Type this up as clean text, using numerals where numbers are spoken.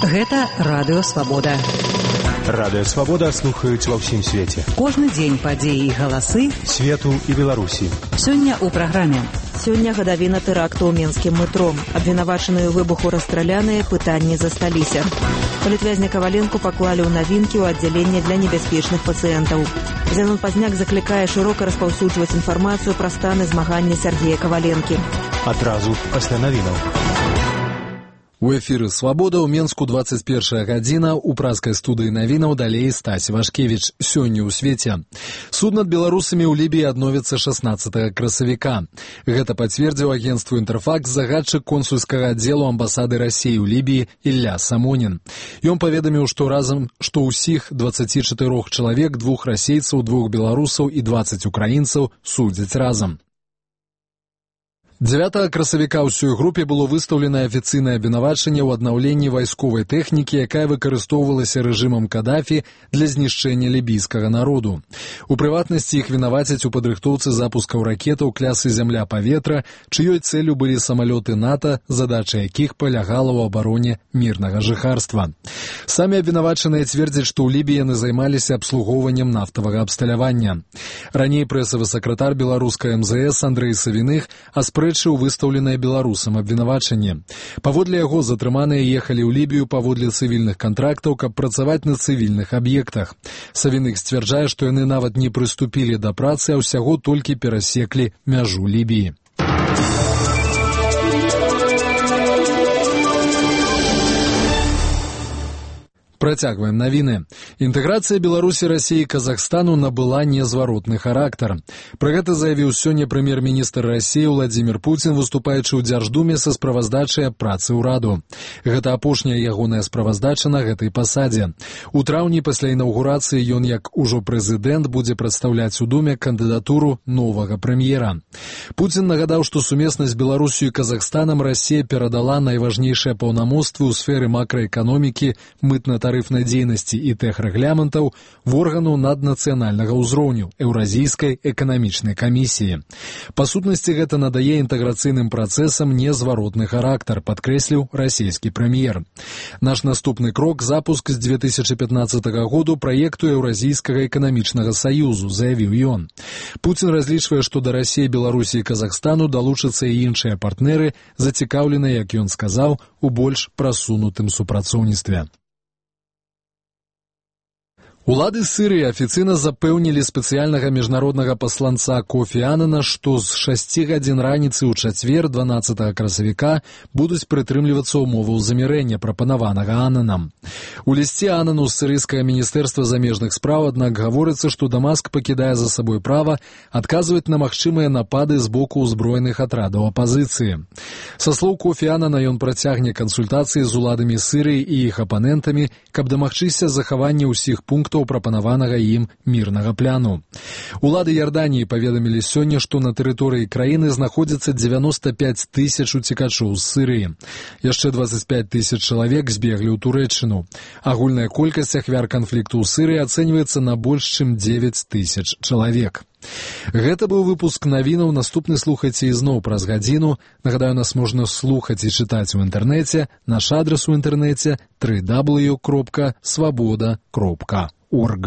Гэта Радыё Свабода. Радыё Свабода слухаюць ва ўсім свеце. Кожны дзень падзеі і галасы свету і Беларусі. Сёння ў праграме. Сёння гадавіна тэракту ў мінскім метро. Абвінавачаныя ў выбуху расстраляныя, пытанні засталіся. Палітвязня Каваленку паклалі ў навінкі ў аддзяленне для небяспечных пацыентаў. Зянон Пазняк заклікае шырока распаўсюджваць інфармацыю пра станы змагання Сергея Каваленкі. Адразу пасля навінаў. У эфіры «Свабода» ў Менску 21 гадзіна, у праскай студыі навінаў далей Стась Вашкевіч. Сёння ў свеце. Суд над беларусамі ў Лібіі адновіцца 16 красавіка. Гэта пацвердзіў агенцтву «Інтэрфакс» загадчык консульскага аддзелу амбасады Расіі ў Лібіі Ілля Самонін. Ён паведаміў, што ўсіх 24 чалавек, 2 расейцаў, 2 беларусаў і 20 украінцаў судзяць разам. 9 красавіка ўсёй групе было выстаўлена афіцыйнае абвінавачанне ў аднаўленні вайсковай тэхнікі, якая выкарыстоўвалася рэжымам Кадафі для знішчэння лібійскага народу. У прыватнасці іх вінавацяць у падрыхтоўцы запускаў ракетаў клясы зямля-паветра, чыёй цэлю былі самалёты НАТО, задача якіх палягала ў абароне мірнага жыхарства. Самі абвінавачаныя цвердзяць, што ў Лібіі яны займаліся абслугоўваннем нафтавага абсталявання. Раней прэсавы сакратар беларускай МЗС Андрэй Савіных аспрэчыў выстаўленае беларусам абвінавачанне. Паводле яго затрыманыя ехалі ў Лібію паводле цывільных кантрактаў, каб працаваць на цывільных аб'ектах. Савіных сцвярджае, што яны нават не прыступілі да працы, а ўсяго толькі перасеклі мяжу Лібіі. Працягваем навіны. Інтэграцыя Беларусі, Расіі і Казахстану набыла незваротны характар. Пра гэта заявіў сёння прэм'ер-міністр Расіі Владзімір Пуцін, выступаючы ў Дзярждуме са справаздачай аб працы ўраду. Гэта апошняя ягоная справаздача на гэтай пасадзе. У траўні пасля інаўгурацыі ён, як ужо прэзідэнт, будзе прадстаўляць у Думе кандыдатуру новага прэм'ера. Пуцін нагадаў, што сумесна з Беларусю і Казахстанам Расія перадала найважнейшыя паўнамоцтвы ў сферы макраэканомікі, мытна-тарыфнай дзейнасці і тэхрэгламентаў в органу наднацыянальнага ўзроўню Еўразійскай эканамічнай камісіі. Па сутнасці гэта надае інтэграцыйным працэсам незваротны характар, падкрэсліў расійскі прэм'ер. Наш наступны крок — запуск з 2015 году праекту Еўразійскага эканамічнага саюзу, заявіў ён. Пуцін разлічвае, што да Расіі, Беларусі і Казахстану далучацца і іншыя партнеры, зацікаўленыя, як ён сказаў, у больш прасунутым супрацоўніцтве. Улады Сірыі афіцыйна запэўнілі спецыяльнага міжнароднага пасланца Кофі Аннана, што з 6 гадзін раніцы ў чацвер, 12 красавіка, будуць прытрымлівацца ўмоваў замірэння, прапанаванага Аннанам. У лісце Аннану з сірыйскага міністэрства замежных спраў, аднак, гаворыцца, што Дамаск пакідае за сабой права адказваць на магчымыя напады з боку ўзброеных атрадаў апазіцыі. Са слоў Кофі Аннана, ён працягне кансультацыі з уладамі Сірыі і іх апанентамі, каб дамагчыся захавання ўсіх пунктаў прапанаванага ім мірнага пляну. Улады Ярданіі паведамілі сёння, што на тэрыторыі краіны знаходзіцца 95 тысяч уцекачоў з Сірыі. Яшчэ 25 тысяч чалавек збеглі ў Турэччыну. Агульная колькасць ахвяр канфлікту ў Сірыі ацэньваецца на больш чым 9 тысяч чалавек. Гэта быў выпуск навінаў. Наступны слухайце ізноў праз гадзіну. Нагадаю, нас можна слухаць і чытаць у інтэрнэце. Наш адрас у інтэрнэце — www.swaboda.org.